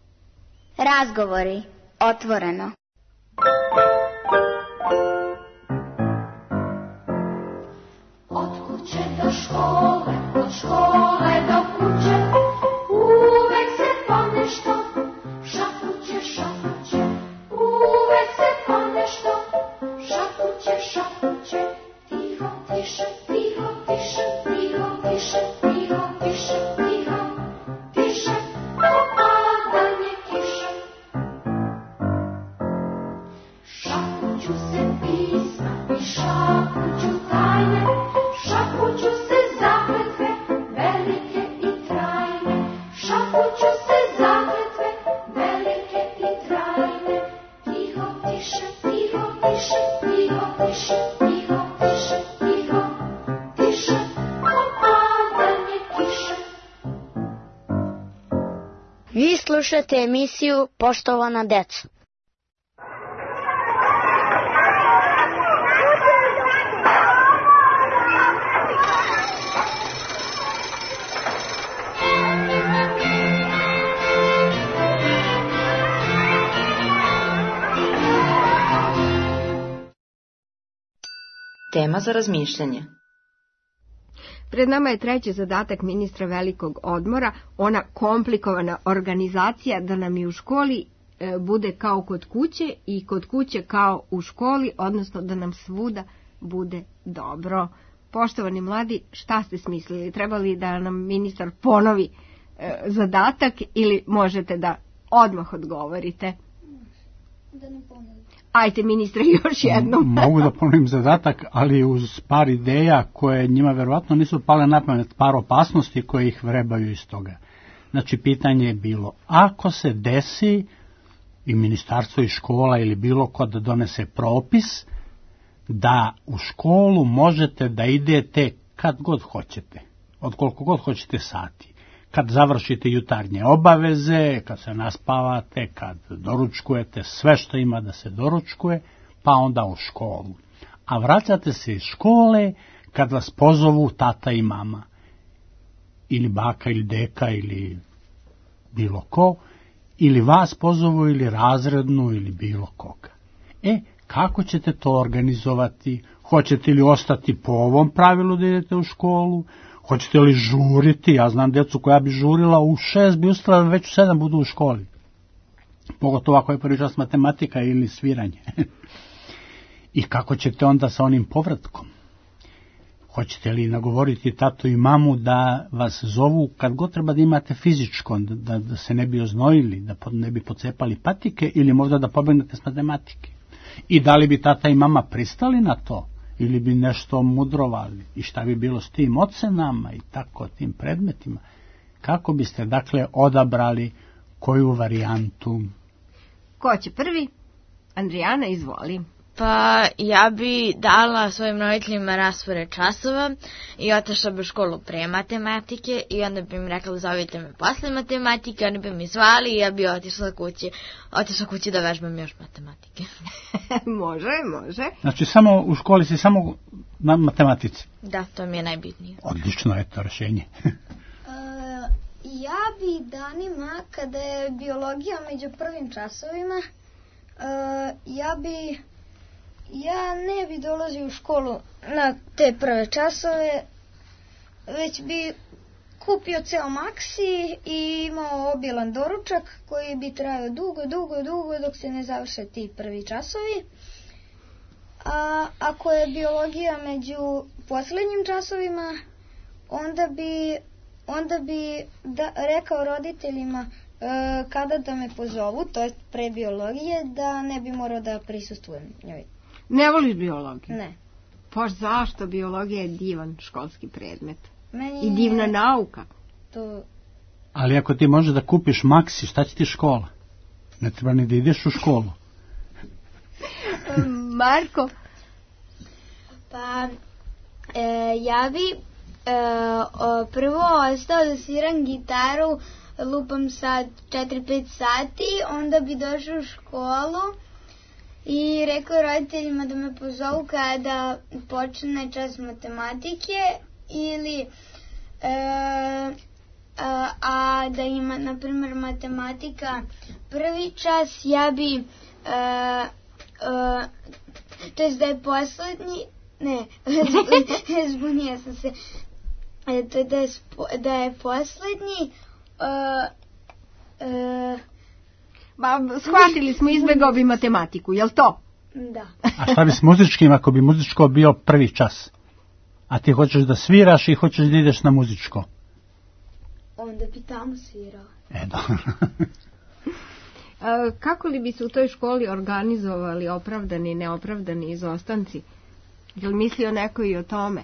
Razgovori. Otvoreno. Od kuće do škole, od škole do kuće, uvek se ponešto šapuće, šapuće. Uvek se ponešto šapuće, šapuće. Tiho, tiše, tiho, tiše, tiho, tiše, tiho, tiše, tiho, tiše, ko padanje kiše. Šapuću se pisma i šapuću tajne, šapuću se zakletve, velike i trajne. Šapuću se zakletve, velike i trajne. Tiho, tiše, tiho, tiše, tiho, tiše, tiho, tiše, tiho, tiše, ko padanje kiše. Vi slušate emisiju Poštovana deco. Tema za razmišljanje. Pred nama je treći zadatak ministra velikog odmora, ona komplikovana organizacija da nam i u školi e, bude kao kod kuće i kod kuće kao u školi, odnosno da nam svuda bude dobro. Poštovani mladi, šta ste smislili? Treba li da nam ministar ponovi e, zadatak ili možete da odmah odgovorite? Da ne ponovim. Ajte, ministre, još jednom. Mogu da ponovim zadatak, ali uz par ideja koje njima verovatno nisu pale na pamet, par opasnosti koje ih vrebaju iz toga. Znači, pitanje je bilo, ako se desi i ministarstvo i škola ili bilo ko da donese propis, da u školu možete da idete kad god hoćete, od koliko god hoćete sati. Kad završite jutarnje obaveze, kad se naspavate, kad doručkujete, sve što ima da se doručkuje, pa onda u školu. A vraćate se iz škole kad vas pozovu tata i mama, ili baka ili deka ili bilo ko, ili vas pozovu ili razrednu ili bilo koga. E, kako ćete to organizovati? Hoćete li ostati po ovom pravilu da idete u školu? Hoćete li žuriti? Ja znam djecu koja bi žurila u šest, bi ustala već u sedam budu u školi. Pogotovo ako je prvi čas matematika ili sviranje. I kako ćete onda sa onim povratkom? Hoćete li nagovoriti tatu i mamu da vas zovu kad god treba da imate fizičko, da, da se ne bi oznojili, da ne bi pocepali patike ili možda da pobegnete s matematike? I da li bi tata i mama pristali na to? Ili bi nešto mudrovali? I šta bi bilo s tim ocenama i tako tim predmetima? Kako biste, dakle, odabrali koju varijantu? Ko će prvi? Andrijana, izvoli. Pa ja bi dala svojim roditeljima raspored časova i otišla bi u školu pre matematike i onda bi im rekla zovite me posle matematike, oni bi mi zvali i ja bi otišla kući, otišla kući da vežbam još matematike. Može, može. Znači samo u školi si samo na matematici? Da, to mi je najbitnije. Odlično je to rešenje. uh, ja bi danima, kada je biologija među prvim časovima, uh, ja bi Ja ne bi dolazio u školu na te prve časove, već bi kupio ceo maksi i imao obilan doručak koji bi trajao dugo, dugo, dugo dok se ne završe ti prvi časovi. A ako je biologija među poslednjim časovima, onda bi, onda bi da, rekao roditeljima e, kada da me pozovu, to je pre biologije, da ne bi morao da prisustvujem njoj. Ne voliš biologiju? Ne. Pa zašto? Biologija je divan školski predmet. Meni I divna nauka. To... Ali ako ti možeš da kupiš maksi, šta će ti škola? Ne treba ni da ideš u školu. Marko? Pa, e, ja bi e, o, prvo ostao da sviram gitaru, lupam sad četiri pet sati, onda bi došao u školu i rekao roditeljima da me pozovu kada počne čas matematike ili E, a, a da ima, na primjer, matematika prvi čas, ja bi, e, e, to jest da je poslednji, ne, zbunija sam se, e, to je da je, da je poslednji, e, e, Ba, shvatili smo, izbegao bi matematiku, jel to? Da. A šta bi s muzičkim, ako bi muzičko bio prvi čas? A ti hoćeš da sviraš i hoćeš da ideš na muzičko? Onda bi tamo svirao. E, dobro. Kako li bi se u toj školi organizovali opravdani i neopravdani izostanci? Jel mislio neko i o tome?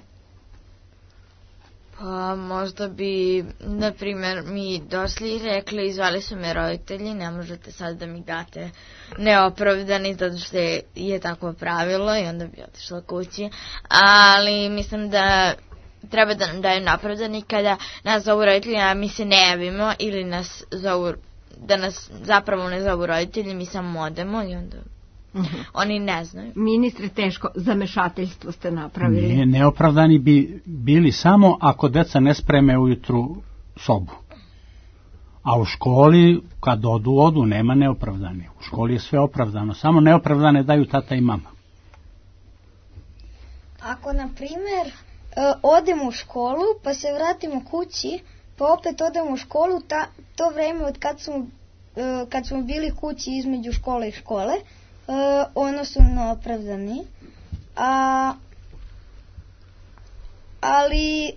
Pa možda bi, na primjer, mi došli i rekli, izvali su me roditelji, ne možete sad da mi date neopravdani, zato što je takvo pravilo, i onda bi otišla kući. Ali mislim da treba da nam daju neopravdani kada nas zovu roditelji, a mi se ne javimo, ili nas zovu, da nas zapravo ne zovu roditelji, mi samo odemo i onda uh-huh. oni ne znaju. Ministre, teško zamešateljstvo ste napravili. Ne, neopravdani bi bili samo ako deca ne spreme ujutru sobu. A u školi, kad odu, odu, nema neopravdani. U školi je sve opravdano, samo neopravdane daju tata i mama. Ako, na primjer, odemo u školu, pa se vratimo kući, pa opet odemo u školu, ta, to vreme od kad smo, kad smo bili kući između škole i škole, ono su neopravdani. A, ali,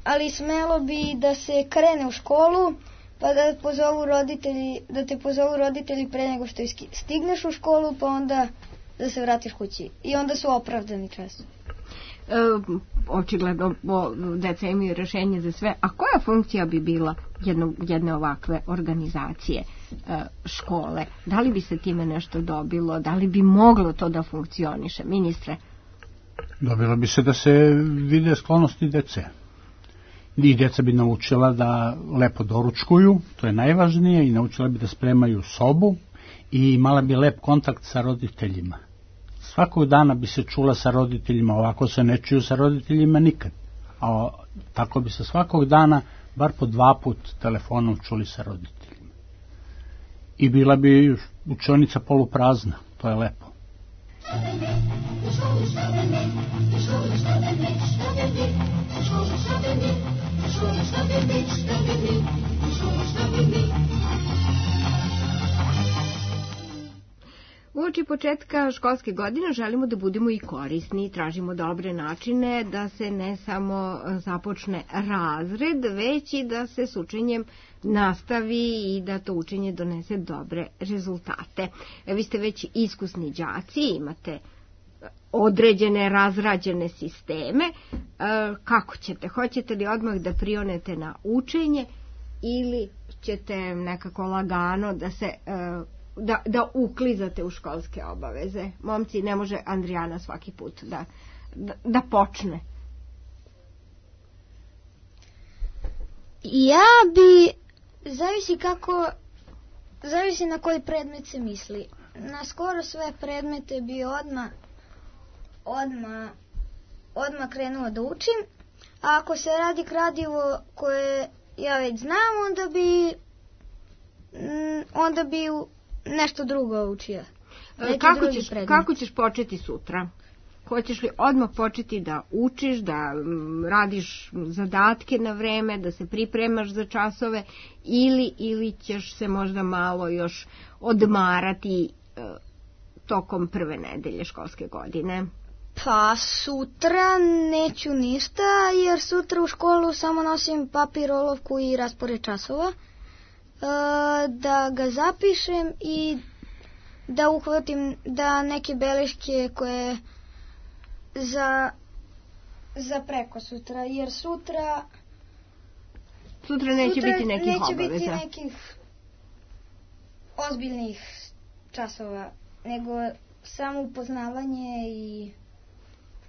ali smelo bi da se krene u školu, pa da pozovu roditelji, da te pozovu roditelji pre nego što stigneš u školu, pa onda da se vratiš kući. I onda su opravdani često. E, očigledno deca imaju rešenje za sve. A koja funkcija bi bila jedno, jedne ovakve organizacije e, škole? Da li bi se time nešto dobilo? Da li bi moglo to da funkcioniše? Ministre? Dobilo bi se da se vide sklonosti dece. I deca bi naučila da lepo doručkuju, to je najvažnije, i naučila bi da spremaju sobu i imala bi lep kontakt sa roditeljima. Svakog dana bi se čula sa roditeljima, ovako se ne čuju sa roditeljima nikad. A tako bi se svakog dana, bar po dva put telefonom čuli sa roditeljima. I bila bi učionica poluprazna, to je lepo. Uoči početka školske godine želimo da budemo i korisni i tražimo dobre načine da se ne samo započne razred, već i da se s učenjem nastavi i da to učenje donese dobre rezultate. Vi ste već iskusni đaci, imate određene razrađene sisteme. Kako ćete? Hoćete li odmah da prionete na učenje ili ćete nekako lagano da se Da, da uklizate u školske obaveze? Momci, ne može Andrijana svaki put da, da, da počne. Ja bi, zavisi kako, zavisi na koji predmet se misli. Na skoro sve predmete bi odmah, odmah, odmah krenuo da učim, a ako se radi gradivo koje ja već znam, onda bi, onda bi nešto drugo učio. Kako ćeš, kako ćeš početi sutra? Hoćeš li odmah početi da učiš, da radiš zadatke na vreme, da se pripremaš za časove, ili, ili ćeš se možda malo još odmarati e, tokom prve nedelje školske godine? Pa sutra neću ništa, jer sutra u školu samo nosim papir, olovku i raspored časova. Da ga zapišem i da uhvatim da neke beleške koje za za preko sutra, jer sutra sutra neće sutra biti nekih neće obaveza. Biti nekih ozbiljnih časova, nego samo upoznavanje i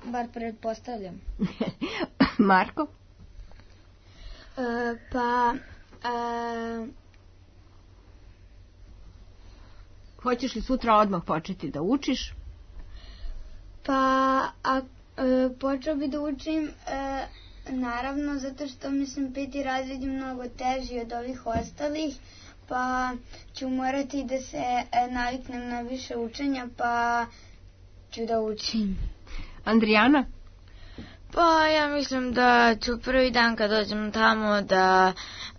bar pretpostavljam. Marko? E, pa e, Hoćeš li sutra odmah početi da učiš? Pa, a, e, počeo bi da učim e, naravno, zato što mislim peti razred je mnogo teži od ovih ostalih, pa ću morati da se naviknem na više učenja, pa ću da učim. Andrijana? Pa ja mislim da ću prvi dan kad dođem tamo da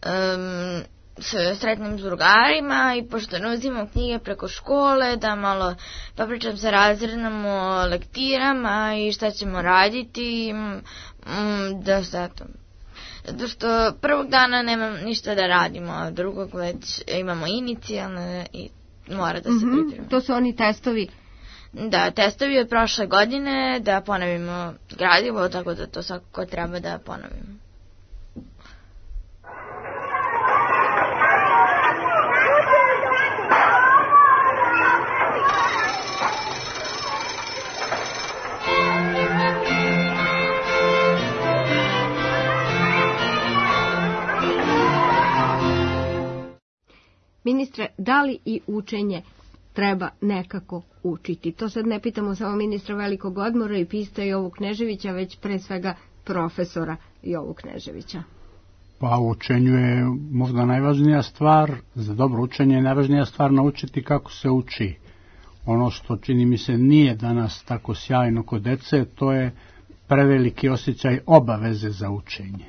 um, se sretnem s drugarima i pošto ne uzimam knjige preko škole, da malo popričam sa razrednom o lektirama i šta ćemo raditi, um, da se to... Zato što prvog dana nemam ništa da radimo, a drugog već imamo inicijalne i mora da se mm-hmm. pripremimo. To su oni testovi? Da, testovi od prošle godine, da ponovimo gradivo, tako da to svakako treba da ponovimo. Ministre, da li i učenje treba nekako učiti? To sad ne pitamo samo ministra Velikog odmora i pista Jovu Kneževića, već pre svega profesora Jovu Kneževića. Pa u učenju je možda najvažnija stvar, za dobro učenje je najvažnija stvar naučiti kako se uči. Ono što čini mi se nije danas tako sjajno kod dece, to je preveliki osjećaj obaveze za učenje.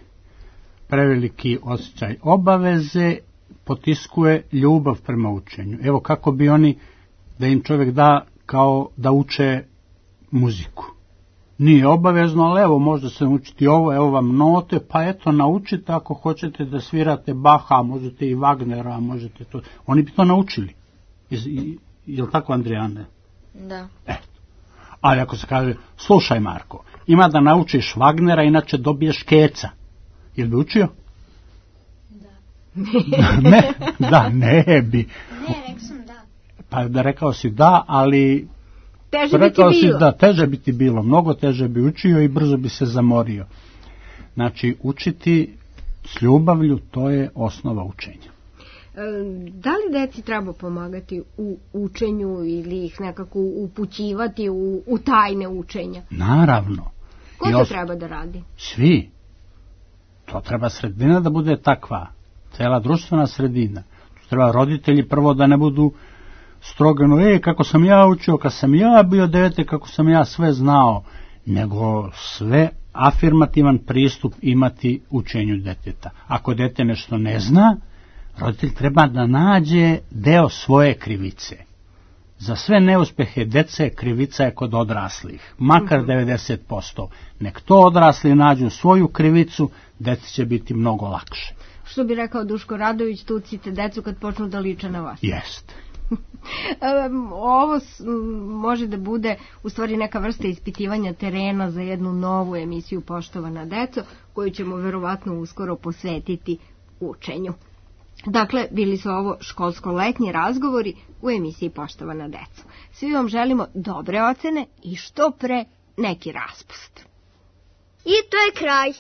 Preveliki osjećaj obaveze potiskuje ljubav prema učenju. Evo kako bi oni, da im čovjek da kao da uče muziku. Nije obavezno, ali evo možda se naučiti ovo, evo vam note, pa eto naučite ako hoćete da svirate Baha, možete i Wagnera, možete to. Oni bi to naučili. Je li tako, Andrijane? Da. Eto. Ali ako se kaže, slušaj Marko, ima da naučiš Wagnera, inače dobiješ keca. Jel bi učio? ne, da, ne bi. Ne, rekao sam da. Pa da rekao si da, ali teže rekao bi ti bilo. Si da, teže bi ti bilo, mnogo teže bi učio i brzo bi se zamorio. Znači, učiti s ljubavlju, to je osnova učenja. Da li deci treba pomagati u učenju ili ih nekako upućivati u, u tajne učenja? Naravno. Ko to os... treba da radi? Svi. To treba sredina da bude takva. Cela društvena sredina. Treba roditelji prvo da ne budu strogano, e, kako sam ja učio, kad sam ja bio dete, kako sam ja sve znao, nego sve afirmativan pristup imati učenju deteta. Ako dete nešto ne zna, roditelj treba da nađe deo svoje krivice. Za sve neuspehe dece krivica je kod odraslih, makar mm-hmm. devedeset posto. Nek to odrasli nađu svoju krivicu, deci će biti mnogo lakše. Što bi rekao Duško Radović, tucite decu kad počnu da liče na vas. Jest. Ovo može da bude u stvari neka vrsta ispitivanja terena za jednu novu emisiju Poštovana deco, koju ćemo verovatno uskoro posvetiti učenju. Dakle, bili su ovo školsko-letnji razgovori u emisiji Poštovana deco. Svi vam želimo dobre ocene i što pre neki raspust. I to je kraj.